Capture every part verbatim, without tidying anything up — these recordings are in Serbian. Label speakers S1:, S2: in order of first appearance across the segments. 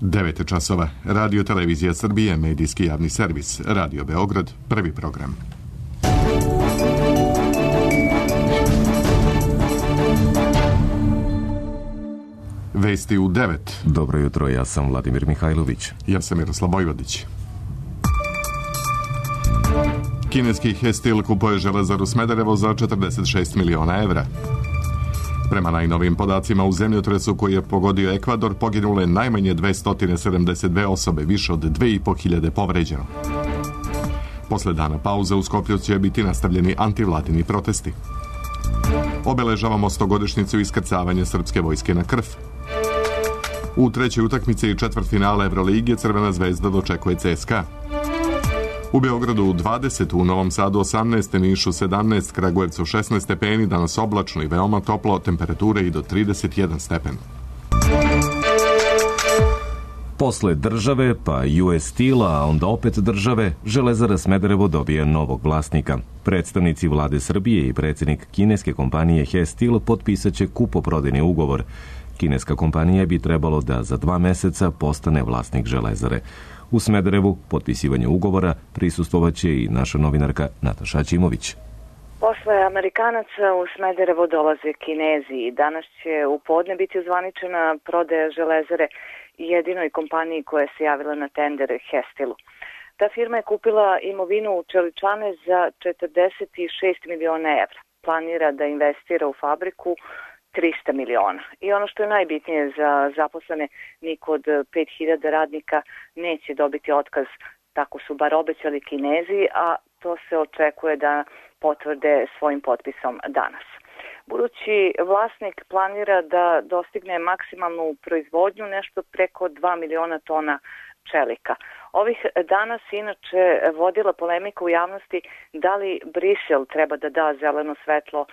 S1: devet časova. Radio Televizija Srbije, medijski javni servis. Radio Beograd, prvi program. Vesti u devet.
S2: Dobro jutro, ja sam Vladimir Mihajlović.
S1: Ja sam Miroslav Vojvodić. Kineski Hestil kupuje Železaru Smederevo za četrdeset šest miliona evra. Prema najnovijim podacima, u zemljotresu koji je pogodio Ekvador poginule najmanje dvesta sedamdeset dve osobe, više od dve i po hiljade povređeno. Posle dana pauze u Skoplju će biti nastavljeni antivladini protesti. Obeležavamo stogodišnjicu iskrcavanja srpske vojske na Krf. U trećoj utakmici i četvrtfinale Evrolige Crvena zvezda dočekuje C S K A. U Beogradu dvadeset, u Novom Sadu osamnaest, Nišu sedamnaest, Kragujevcu šesnaest stepeni, danas oblačno i veoma toplo, temperature i do trideset jedan stepen.
S2: Posle države, pa U S Steel, a onda opet države, Železara Smederevo dobije novog vlasnika. Predstavnici vlade Srbije i predsjednik kineske kompanije Hestil potpisat će kupoprodajni ugovor. Kineska kompanija bi trebalo da za dva meseca postane vlasnik Železare. U Smederevu potpisivanje ugovora prisustvovaće i naša novinarka Nataša Ćimović.
S3: Posle Amerikanaca u Smederevo dolaze Kinezi i danas će u podne biti ozvaničena prodaja Železare jedinoj kompaniji koja se javila na tender Hestilu. Ta firma je kupila imovinu u Čeličane za četrdeset šest miliona evra. Planira da investira u fabriku trista miliona. I ono što je najbitnije za zaposlene, niko od pet hiljada radnika neće dobiti otkaz, tako su bar obećali Kinezi, a to se očekuje da potvrde svojim potpisom danas. Budući vlasnik planira da dostigne maksimalnu proizvodnju nešto preko dva miliona tona čelika. Ovih danas inače vodila polemika u javnosti da li Brisel treba da da zeleno svetlo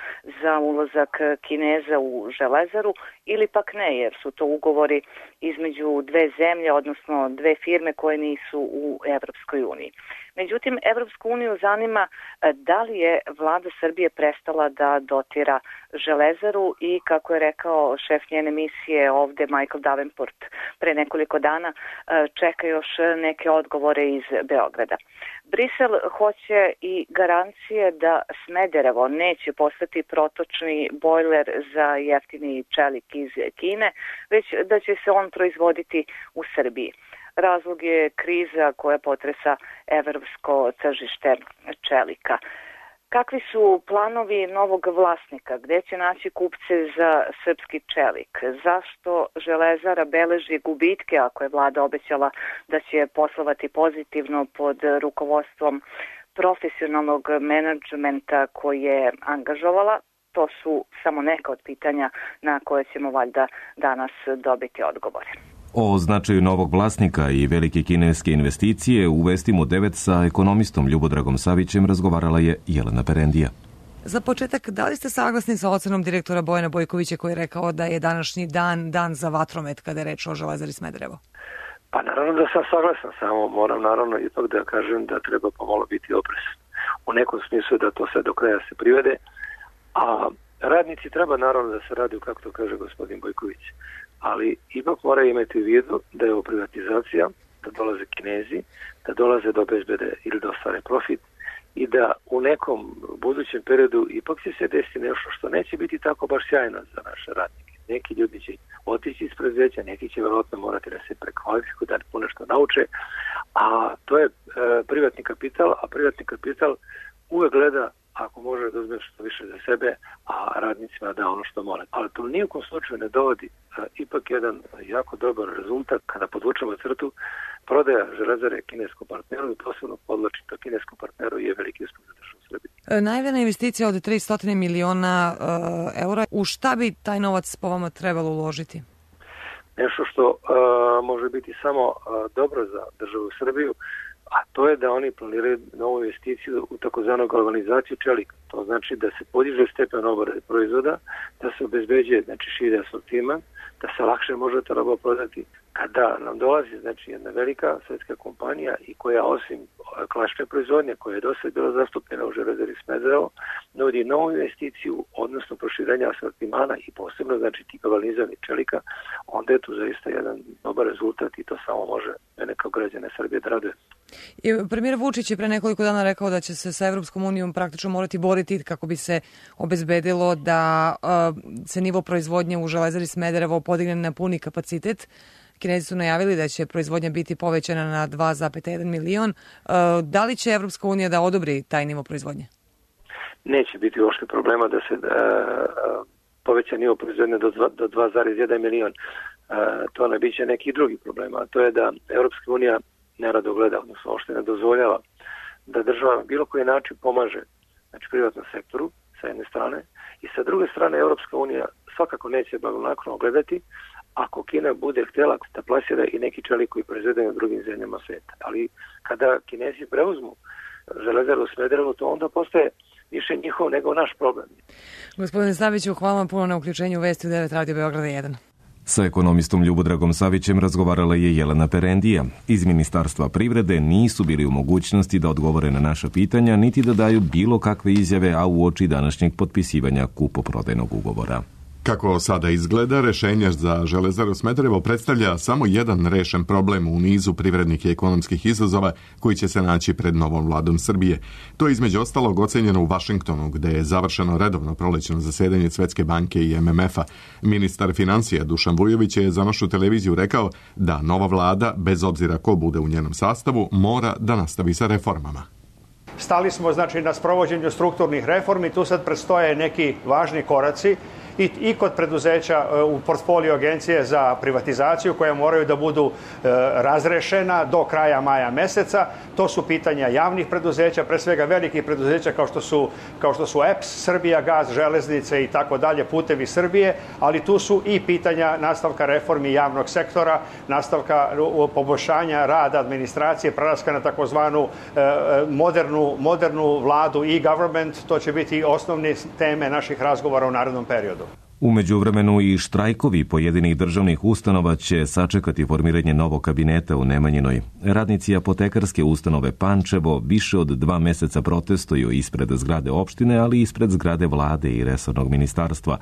S3: za ulazak Kineza u Železaru ili pak ne, jer su to ugovori između dve zemlje, odnosno dve firme koje nisu u Evropskoj uniji. Međutim, Evropsku uniju zanima da li je vlada Srbije prestala da dotira Železaru i, kako je rekao šef njene misije ovde Michael Davenport pre nekoliko dana, čeka još neke odgovore iz Beograda. Brisel hoće i garancije da Smederevo neće postati protočni bojler za jeftini čelik iz Kine, već da će se on proizvoditi u Srbiji. Razlog je kriza koja potresa evropsko tržište čelika. Kakvi su planovi novog vlasnika? Gde će naći kupce za srpski čelik? Zašto Železara beleži gubitke ako je vlada obećala da će poslovati pozitivno pod rukovodstvom profesionalnog menadžmenta koji je angažovala? To su samo neka od pitanja na koje ćemo valjda danas dobiti odgovore.
S2: O značaju novog vlasnika i velike kineske investicije u Vestima u devet sa ekonomistom Ljubodragom Savićem razgovarala je Jelena Perendija.
S4: Za početak, da li ste saglasni sa ocenom direktora Bojana Bojkovića koji je rekao da je današnji dan dan za vatromet kada je reč o Železari Smederevo?
S5: Pa naravno da sam saglasan, samo moram naravno ipak da kažem da treba pomalo biti oprezan. U nekom smislu da to sve do kraja se privede, a radnici treba naravno da se radi, kako to kaže gospodin Bojković. Ali ipak mora imati u vidu da je ovo privatizacija, da dolaze Kinezi, da dolaze do obezbede ili da ostvare profit i da u nekom budućem periodu ipak će se desiti nešto što neće biti tako baš sjajno za naše radnike. Neki ljudi će otići iz preduzeća, neki će verovatno morati da se prekvalifikuju, da ponešto nauče, a to je e, privatni kapital, a privatni kapital uvek gleda ako može da uzme što više za sebe, a radnicima da ono što mora. Ali to nijekom slučaju ne dovodi a, ipak jedan jako dobar rezultat kada podvučemo crtu prodaja Železare kineskom partneru i posebno podlačim to kineskom partneru je veliki uspeh za državu Srbije.
S4: Najavljena investicija od tristo miliona uh, eura. U šta bi taj novac po vama trebalo uložiti?
S5: Nešto što uh, može biti samo uh, dobro za državu Srbiju, a to je da oni planiraju novu investiciju u takozvanu galvanizaciju čelika. To znači da se podiže stepen obrade proizvoda, da se obezbeđuje znači širi asortiman, da se lakše može ta roba prodati, Kada nam dolazi znači jedna velika svetska kompanija i koja osim klasične proizvodnje koja je do sada bila zastupljena u Železari Smederevo nudi novu investiciju, odnosno proširenja asortimana i posebno znači tih galvanizovanih čelika, onda je tu zaista jedan dobar rezultat i to samo može mene kao građane Srbije da raduje.
S4: Premijer Vučić je pre nekoliko dana rekao da će se sa Evropskom unijom praktično morati boriti kako bi se obezbedilo da uh, se nivo proizvodnje u Železari Smederevo podigne na puni kapacitet. Kinezi su najavili da će proizvodnja biti povećana na dva zarez jedan milion. Uh, da li će Evropska unija da odobri taj nivo proizvodnje?
S5: Neće biti uopšte problema da se uh, poveća nivo proizvodnje do, do dva zarez jedan milion. Uh, to ne biće neki drugi problema. A to je da Evropska unija nerado gleda, odnosno uopšte ne dozvoljava da država na bilo koji način pomaže znači privatnom sektoru sa jedne strane i sa druge strane Evropska unija svakako neće blagonaklono gledati ako Kina bude htjela da plasira i neki čelik koji proizvedaju u drugim zemljama sveta. Ali kada Kinezi preuzmu Železaru u Smederevu, to onda postaje više njihov nego naš problem.
S4: Gospodine Saviću, hvala vam puno na uključenju u Vesti u devet Radio Beograda jedan.
S2: Sa ekonomistom Ljubodragom Savićem razgovarala je Jelena Perendija. Iz Ministarstva privrede nisu bili u mogućnosti da odgovore na naša pitanja, niti da daju bilo kakve izjave, a uoči današnjeg potpisivanja kupoprodajnog ugovora.
S1: Kako sada izgleda, rešenje za Železaru Smederevo predstavlja samo jedan rešen problem u nizu privrednih i ekonomskih izazova koji će se naći pred novom vladom Srbije. To je između ostalog ocenjeno u Vašingtonu, gde je završeno redovno prolećno zasedanje Svetske banke i em em ef-a. Ministar financija Dušan Vujović je za našu televiziju rekao da nova vlada, bez obzira ko bude u njenom sastavu, mora da nastavi sa reformama.
S6: Stali smo znači na sprovođenju strukturnih reformi, tu sad predstoje neki važni koraci i, i kod preduzeća u portfolio agencije za privatizaciju koja moraju da budu e, razrešena do kraja maja meseca. To su pitanja javnih preduzeća, pre svega velikih preduzeća kao što su, kao što su E P S, Srbija gas, železnice i tako dalje, putevi Srbije, ali tu su i pitanja nastavka reformi javnog sektora, nastavka poboljšanja rada administracije, prelaska na takozvanu e, modernu, modernu vladu i government. To će biti osnovne teme naših razgovora u narednom periodu.
S2: U međuvremenu i štrajkovi pojedinih državnih ustanova će sačekati formiranje novog kabineta u Nemanjinoj. Radnici apotekarske ustanove Pančevo više od dva meseca protestuju ispred zgrade opštine, ali i ispred zgrade vlade i resornog ministarstva.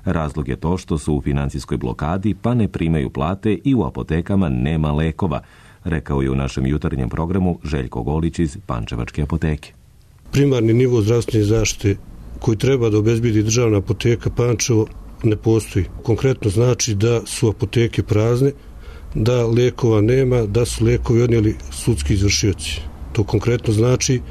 S2: Razlog je to što su u finansijskoj blokadi pa ne primaju plate i u apotekama nema lekova, rekao je u našem jutarnjem programu Željko Golić iz Pančevačke apoteke.
S7: Primarni nivo zdravstvene zaštite koji treba da obezbedi državna apoteka Pančevo ne postoji. Konkretno znači da su apoteke prazne, da lekova nema, da su lekovi odnijeli sudski izvršioci. To konkretno znači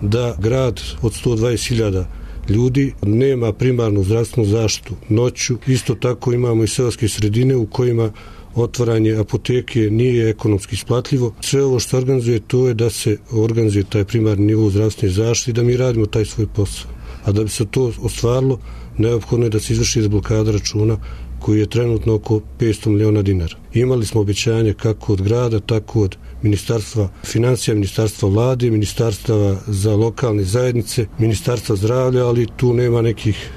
S7: da grad od sto dvadeset hiljada ljudi nema primarnu zdravstvenu zaštitu noću. Isto tako imamo i seoske sredine u kojima otvaranje apoteke nije ekonomski isplatljivo. Sve ovo što organizuje to je da se organizuje taj primarni nivo zdravstvene zaštite i da mi radimo taj svoj posao. A da bi se to ostvarilo, neophodno je da se izvrši blokada računa koji je trenutno oko petsto miliona dinara. Imali smo obećanje kako od grada, tako od Ministarstva financija, Ministarstva vlade, Ministarstva za lokalne zajednice, Ministarstva zdravlja, ali tu nema nekih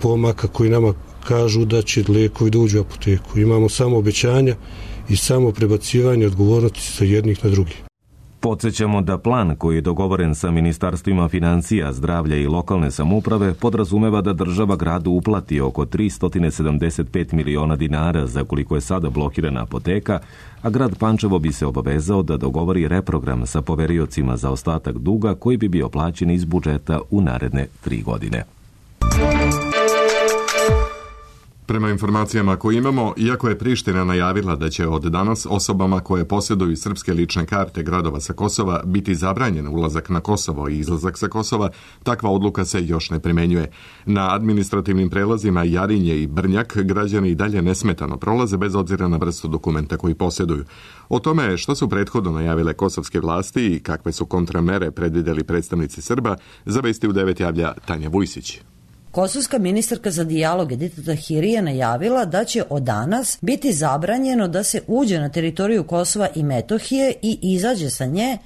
S7: pomaka koji nama kažu da će lekovi da uđu u apoteku. Imamo samo obećanja i samo prebacivanje odgovornosti sa jednih na drugih.
S2: Podsjećamo da plan koji je dogovoren sa ministarstvima financija, zdravlja i lokalne samouprave podrazumeva da država gradu uplati oko tristo sedamdeset pet miliona dinara za koliko je sada blokirana apoteka, a grad Pančevo bi se obavezao da dogovori reprogram sa poveriocima za ostatak duga koji bi bio plaćen iz budžeta u naredne tri godine.
S1: Prema informacijama koje imamo, iako je Priština najavila da će od danas osobama koje posjeduju srpske lične karte gradova sa Kosova biti zabranjen ulazak na Kosovo i izlazak sa Kosova, takva odluka se još ne primenjuje. Na administrativnim prelazima Jarinje i Brnjak građani i dalje nesmetano prolaze bez obzira na vrstu dokumenta koji posjeduju. O tome što su prethodno najavile kosovske vlasti i kakve su kontramere predvideli predstavnici Srba, za Vesti u devet javlja Tanja Vujsić.
S8: Kosovska ministarka za dijalog Edita Tahiri je najavila da će od danas biti zabranjeno da se uđe na teritoriju Kosova i Metohije i izađe sa nje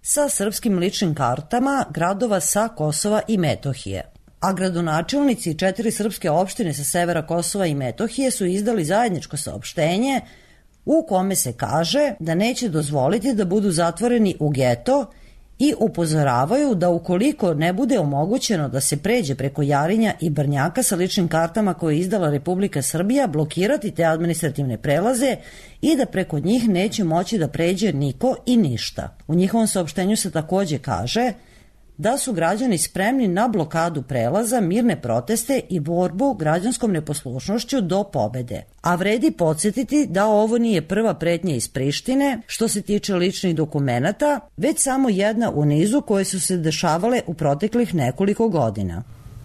S8: sa srpskim ličnim kartama gradova sa Kosova i Metohije. A gradonačelnici četiri srpske opštine sa severa Kosova i Metohije su izdali zajedničko saopštenje u kome se kaže da neće dozvoliti da budu zatvoreni u geto i upozoravaju da ukoliko ne bude omogućeno da se pređe preko Jarinja i Brnjaka sa ličnim kartama koje je izdala Republika Srbija, blokirati te administrativne prelaze i da preko njih neće moći da pređe niko i ništa. U njihovom saopštenju se takođe kaže da su građani spremni na blokadu prelaza, mirne proteste i borbu građanskom neposlušnošću do pobede. A vredi podsjetiti da ovo nije prva pretnja iz Prištine što se tiče ličnih dokumenata, već samo jedna u nizu koje su se dešavale u proteklih nekoliko godina.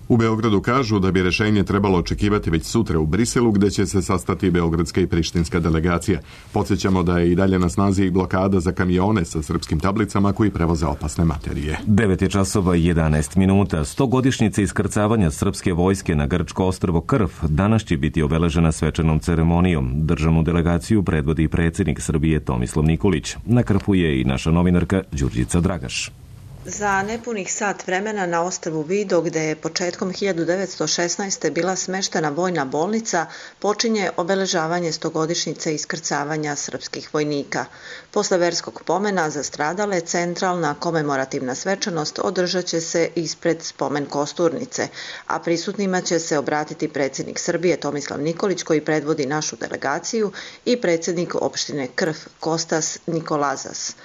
S1: U Beogradu kažu da bi rešenje trebalo očekivati već sutra u Briselu, gde će se sastati beogradska i prištinska delegacija. Podsjećamo da je i dalje na snazi i blokada za kamione sa srpskim tablicama koji prevoze opasne materije.
S2: devet je časova i jedanaest minuta. Stogodišnjica iskrcavanja srpske vojske na grčko ostrvo Krf danas će biti obeležena svečanom ceremonijom. Državnu delegaciju predvodi predsjednik Srbije Tomislav Nikolić. Na Krfu je i naša novinarka Đurđica Dragaš.
S9: Za nepunih sat vremena na ostrvu Vido, gde je početkom hiljadu devetsto šesnaeste. bila smeštena vojna bolnica, počinje obeležavanje stogodišnjice iskrcavanja srpskih vojnika. Posle verskog pomena za stradale, centralna komemorativna svečanost održat će se ispred spomen kosturnice, a prisutnima će se obratiti predsjednik Srbije Tomislav Nikolić, koji predvodi našu delegaciju, i predsjednik opštine Krf Kostas Nikolazas.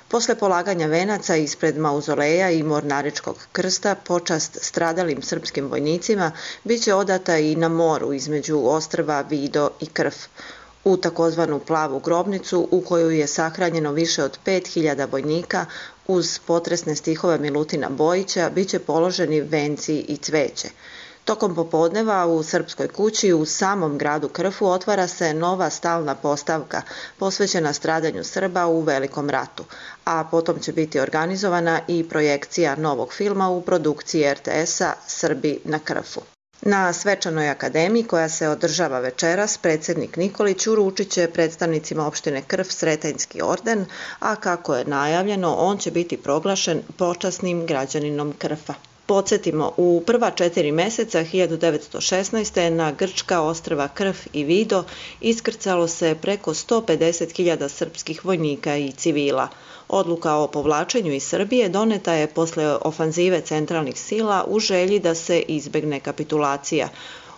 S9: Posle polaganja venaca ispred mauzoleja i mornaričkog krsta, počast stradalim srpskim vojnicima biće odata i na moru između ostrva Vido i Krf, u takozvanu plavu grobnicu u koju je sahranjeno više od pet hiljada vojnika. Uz potresne stihove Milutina Bojića biće položeni venci i cveće. Tokom popodneva u Srpskoj kući u samom gradu Krfu otvara se nova stalna postavka posvećena stradanju Srba u Velikom ratu, a potom će biti organizovana i projekcija novog filma u produkciji er te esa Srbi na Krfu. Na svečanoj akademiji koja se održava večeras, predsjednik Nikolić uručit će predstavnicima opštine Krf Sretenjski orden, a kako je najavljeno, on će biti proglašen počasnim građaninom Krfa. Podsjetimo, u prva četiri meseca hiljadu devetsto šesnaeste. na grčka ostrva Krf i Vido iskrcalo se preko sto pedeset hiljada srpskih vojnika i civila. Odluka o povlačenju iz Srbije doneta je posle ofanzive centralnih sila u želji da se izbegne kapitulacija.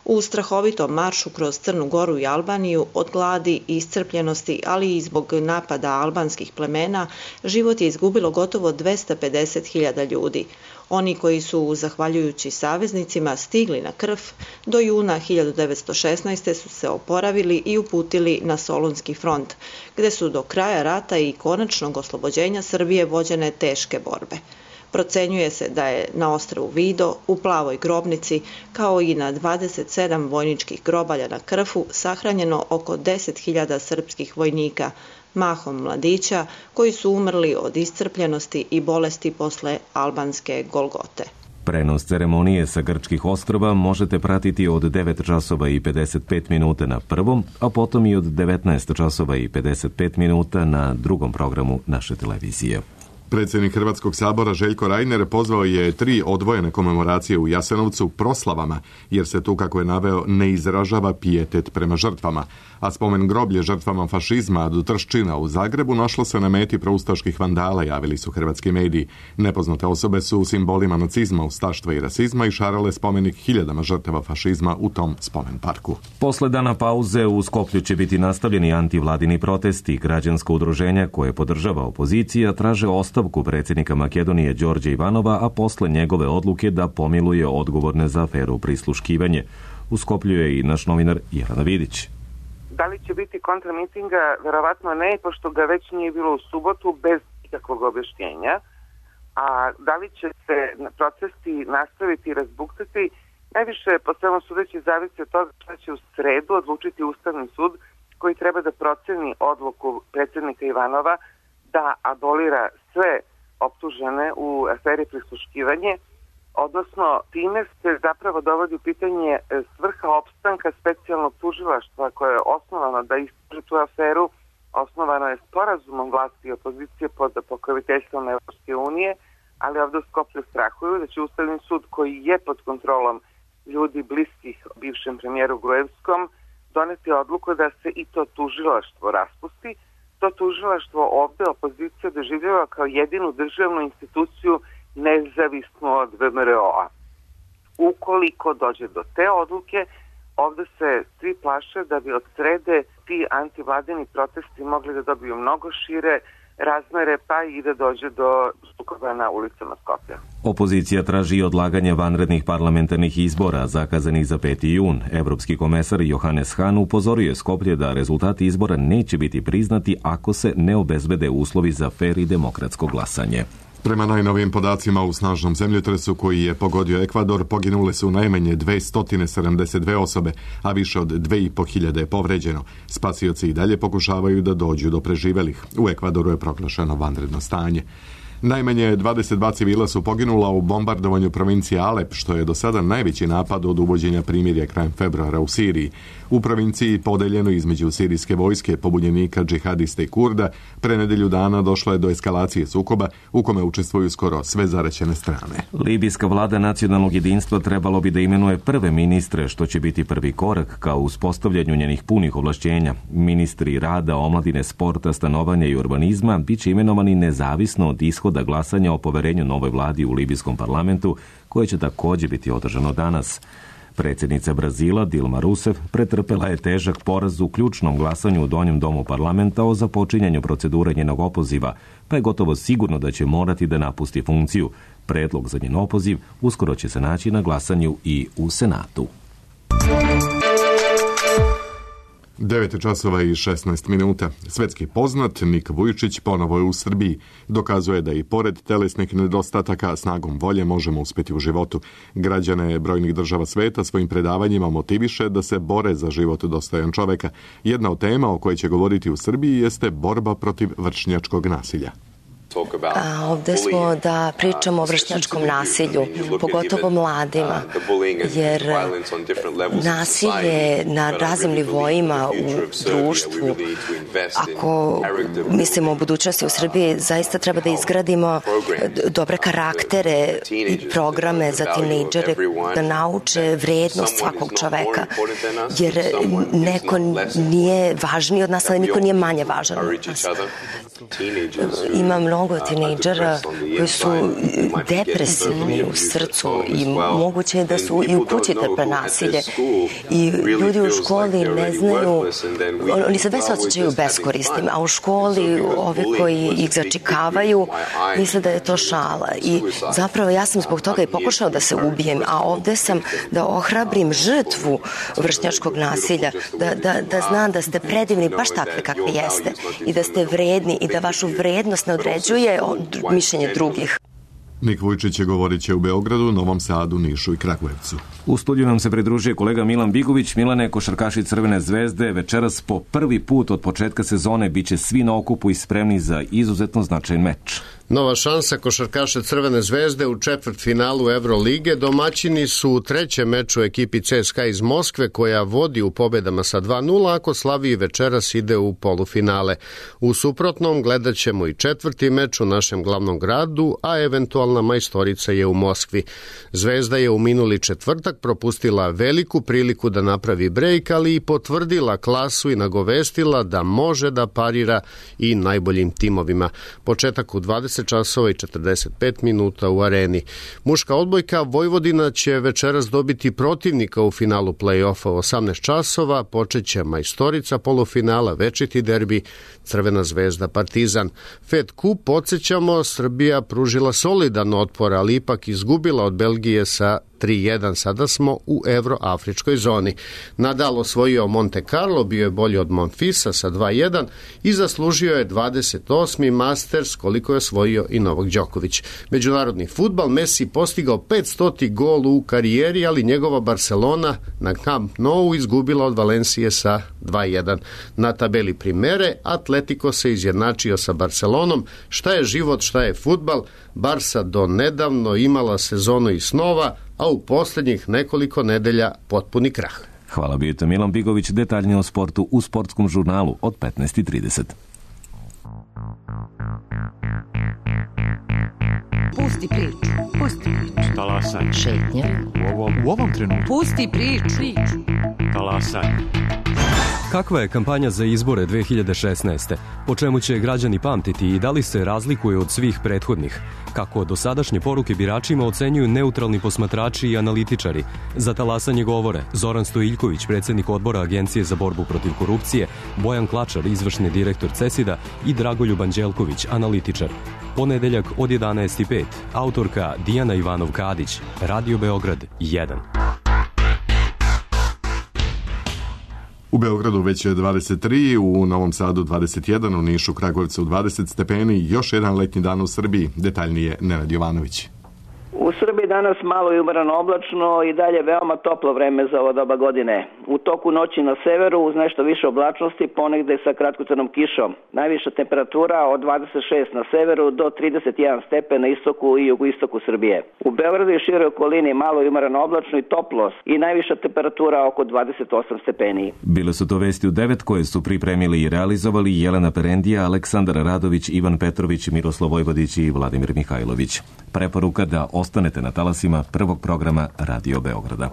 S9: U strahovitom maršu kroz Crnu Goru i Albaniju od gladi i iscrpljenosti, ali i zbog napada albanskih plemena, život je izgubilo gotovo dvesta pedeset hiljada ljudi. Oni koji su, zahvaljujući saveznicima, stigli na Krf, do juna hiljadu devetsto šesnaeste. su se oporavili i uputili na Solunski front, gde su do kraja rata i konačnog oslobođenja Srbije vođene teške borbe. Procenjuje se da je na ostrvu Vido, u plavoj grobnici, kao i na dvadeset sedam vojničkih grobalja na Krfu, sahranjeno oko deset hiljada srpskih vojnika, mahom mladića, koji su umrli od iscrpljenosti i bolesti posle albanske Golgote.
S2: Prenos ceremonije sa grčkih ostrva možete pratiti od devet časova i pedeset pet minuta na prvom, a potom i od devetnaest časova i pedeset pet minuta na drugom programu naše televizije.
S1: Predsjednik Hrvatskog sabora Željko Reiner pozvao je tri odvojene komemoracije u Jasenovcu proslavama, jer se tu, kako je naveo, ne izražava pijetet prema žrtvama. A spomen groblje žrtvama fašizma do Trščina u Zagrebu našlo se na meti proustaških vandala, javili su hrvatski mediji. Nepoznate osobe su u simbolima nacizma, ustaštva i rasizma i šarale spomenik hiljadama žrtava fašizma u tom spomen parku.
S2: Posle dana pauze u Skoplju će biti nastavljeni antivladini protesti. Građansko udruženja koje podržava opozicija traže ostavku predsjednika Makedonije Đorđa Ivanova, a posle njegove odluke da pomiluje odgovorne za aferu prisluškivanje. U Skoplju je i naš novinar Jelena Vidić.
S10: Da li će biti kontramitinga? Verovatno ne, pošto ga već nije bilo u subotu bez ikakvog objašnjenja. A da li će se protesti nastaviti i razbuktati? Najviše, po svemu sudeći, zavisi od toga šta će u sredu odlučiti Ustavni sud, koji treba da proceni odluku predsjednika Ivanova da abolira sve optužene u aferi prisluškivanje, odnosno time se zapravo dovodi u pitanje svrha opstanka specijalnog tužilaštva koje je osnovano da istraži tu aferu. Osnovano je sporazumom vlasti i opozicije pod pokroviteljstvom Evropske unije, ali ovdje u Skoplju strahuju da će Ustavni sud, koji je pod kontrolom ljudi bliskih bivšem premijeru Gruevskom, doneti odluku da se i to tužilaštvo raspusti. To tužilaštvo ovde opozicija doživljava kao jedinu državnu instituciju nezavisnu od V M R O-a. Ukoliko dođe do te odluke, ovde se svi plaše da bi od srede ti antivladini protesti mogli da dobiju mnogo šire razmere, pa i da dođe do sukoba na ulicama Skoplja.
S2: Opozicija traži odlaganje vanrednih parlamentarnih izbora zakazanih za peti jun. Evropski komesar Johannes Hahn upozorio je Skoplje da rezultati izbora neće biti priznati ako se ne obezbede uslovi za fer i demokratsko glasanje.
S1: Prema najnovijim podacima u snažnom zemljotresu koji je pogodio Ekvador, poginule su najmanje dvesta sedamdeset dve osobe, a više od dve i po hiljade je povređeno. Spasioci i dalje pokušavaju da dođu do preživelih. U Ekvadoru je proglašeno vanredno stanje. Najmanje dvadeset dva civila su poginula u bombardovanju provincije Alep, što je do sada najveći napad od uvođenja primirja krajem februara u Siriji. U provinciji, podeljeno između sirijske vojske, pobunjenika, džihadista i Kurda, pre nedelju dana došlo je do eskalacije sukoba u kome učestvuju skoro sve zaraćene strane.
S2: Libijska vlada nacionalnog jedinstva trebalo bi da imenuje prve ministre, što će biti prvi korak ka uspostavljanju njenih punih ovlašćenja. Ministri rada, omladine, sporta, stanovanja i urbanizma bit će imenovani nezavisno od ishoda glasanja o poverenju novoj vladi u libijskom parlamentu, koje će također biti održano danas. Predsjednica Brazila Dilma Rousseff pretrpela je težak poraz u ključnom glasanju u Donjem domu parlamenta o započinjanju procedure njenog opoziva, pa je gotovo sigurno da će morati da napusti funkciju. Predlog za njen opoziv uskoro će se naći na glasanju i u Senatu.
S1: devet časova i šesnaest minuta. Svetski poznat Nik Vujčić ponovo je u Srbiji. Dokazuje da i pored telesnih nedostataka snagom volje možemo uspjeti u životu. Građane brojnih država sveta svojim predavanjima motiviše da se bore za život dostojan čoveka. Jedna od tema o kojoj će govoriti u Srbiji jeste borba protiv vršnjačkog nasilja.
S11: A ovde smo da pričamo o vršnjačkom nasilju, pogotovo mladima, jer nasilje na raznim nivoima u društvu, ako mislimo o budućnosti u Srbiji, zaista treba da izgradimo dobre karaktere i programe za tinejdžere, da nauče vrednost svakog čoveka, jer neko nije važniji od nas, ali niko nije manje važan od nas. Ima mnogo tinejdžera koji su depresivni u srcu i moguće je da su i u kući trpe nasilje. I ljudi u školi ne znaju, oni se već osjećaju beskorisnim, a u školi ovi koji ih začikavaju misle da je to šala. I zapravo ja sam zbog toga i pokušao da se ubijem, a ovde sam da ohrabrim žrtvu vršnjačkog nasilja, da, da, da znam da ste predivni baš takve kakvi jeste i da ste vredni i da vašu vrednost ne određuje mišljenje drugih.
S1: Nik Vujčić je govorit će u Beogradu, Novom Sadu, Nišu i Kragujevcu.
S2: U studiju nam se pridružuje kolega Milan Bigović. Milane, košarkaši Crvene zvezde večeras po prvi put od početka sezone biće svi na okupu i spremni za izuzetno značajan meč.
S12: Nova šansa košarkaša Crvene zvezde u četvrtfinalu Evrolige. Domaćini su u trećem meču ekipi C S K A iz Moskve, koja vodi u pobedama sa dva nula, ako slavi večeras ide u polufinale. U suprotnom gledat ćemo i četvrti meč u našem glavnom gradu, a eventualna majstorica je u Moskvi. Zvezda je u minuli četvrtak propustila veliku priliku da napravi brejk, ali i potvrdila klasu i nagovestila da može da parira i najboljim timovima. Početak u dvadeset časova i četrdeset pet minuta u areni. Muška odbojka Vojvodina će večeras dobiti protivnika u finalu play-offa u osamnaest časova. Počeće majstorica polufinala, večiti derbi Crvena zvezda Partizan. Fed Cup, podsjećamo, Srbija pružila solidan otpor, ali ipak izgubila od Belgije sa tri jedan. Sada smo u evroafričkoj zoni. Nadal osvojio Monte Carlo, bio je bolji od Monfisa sa dva jedan i zaslužio je dvadeset osmi Masters, koliko je osvojio i Novak Đoković. Međunarodni fudbal, Messi postigao petstoti gol u karijeri, ali njegova Barcelona na Camp Nou izgubila od Valencije sa dva jedan. Na tabeli Primere Atletico se izjednačio sa Barcelonom. Šta je život, šta je fudbal? Barsa do nedavno imala sezonu i snova, a u posljednjih nekoliko nedelja potpuni krah.
S2: Hvala, bio je Milan Bigović. Detaljnije o sportu u Sportskom žurnalu od petnaest i trideset.
S13: Pusti priču. Pusti priču.
S14: Talasaj.
S13: Šetnja.
S14: U ovom, u ovom trenutku.
S13: Pusti priču.
S14: Talasaj.
S15: Kakva je kampanja za izbore dve hiljade šesnaeste? Po čemu će građani pamtiti i da li se razlikuje od svih prethodnih? Kako dosadašnje poruke biračima ocenjuju neutralni posmatrači i analitičari? Za talasanje govore Zoran Stojiljković, predsjednik odbora Agencije za borbu protiv korupcije, Bojan Klačar, izvršni direktor CESID-a i Dragoljub Anđelković, analitičar. Ponedeljak od jedanaest i pet. Autorka Dijana Ivanov-Kadić. Radio Beograd jedan.
S1: U Beogradu već je dvadeset tri, u Novom Sadu dvadeset jedan, u Nišu, Kragujevcu dvadeset stepeni, još jedan letnji dan u Srbiji. Detaljnije Nenad Jovanović.
S16: U Srbiji danas malo i umereno oblačno i dalje veoma toplo vreme za ovo doba godine. U toku noći na severu uz nešto više oblačnosti, ponegde sa kratkocrnom kišom. Najviša temperatura od dvadeset šest na severu do trideset jedan stepen na istoku i jugoistoku Srbije. U Beogradu i široj okolini malo i umereno oblačno i toplo i najviša temperatura oko dvadeset osam stepeni.
S2: Bile su to vesti u devet koje su pripremili i realizovali Jelena Perendija, Aleksandar Radović, Ivan Petrović, Miroslav Vojvodić i Vladimir Mihajlović. Preporuka da ostanete na talasima prvog programa Radio Beograda.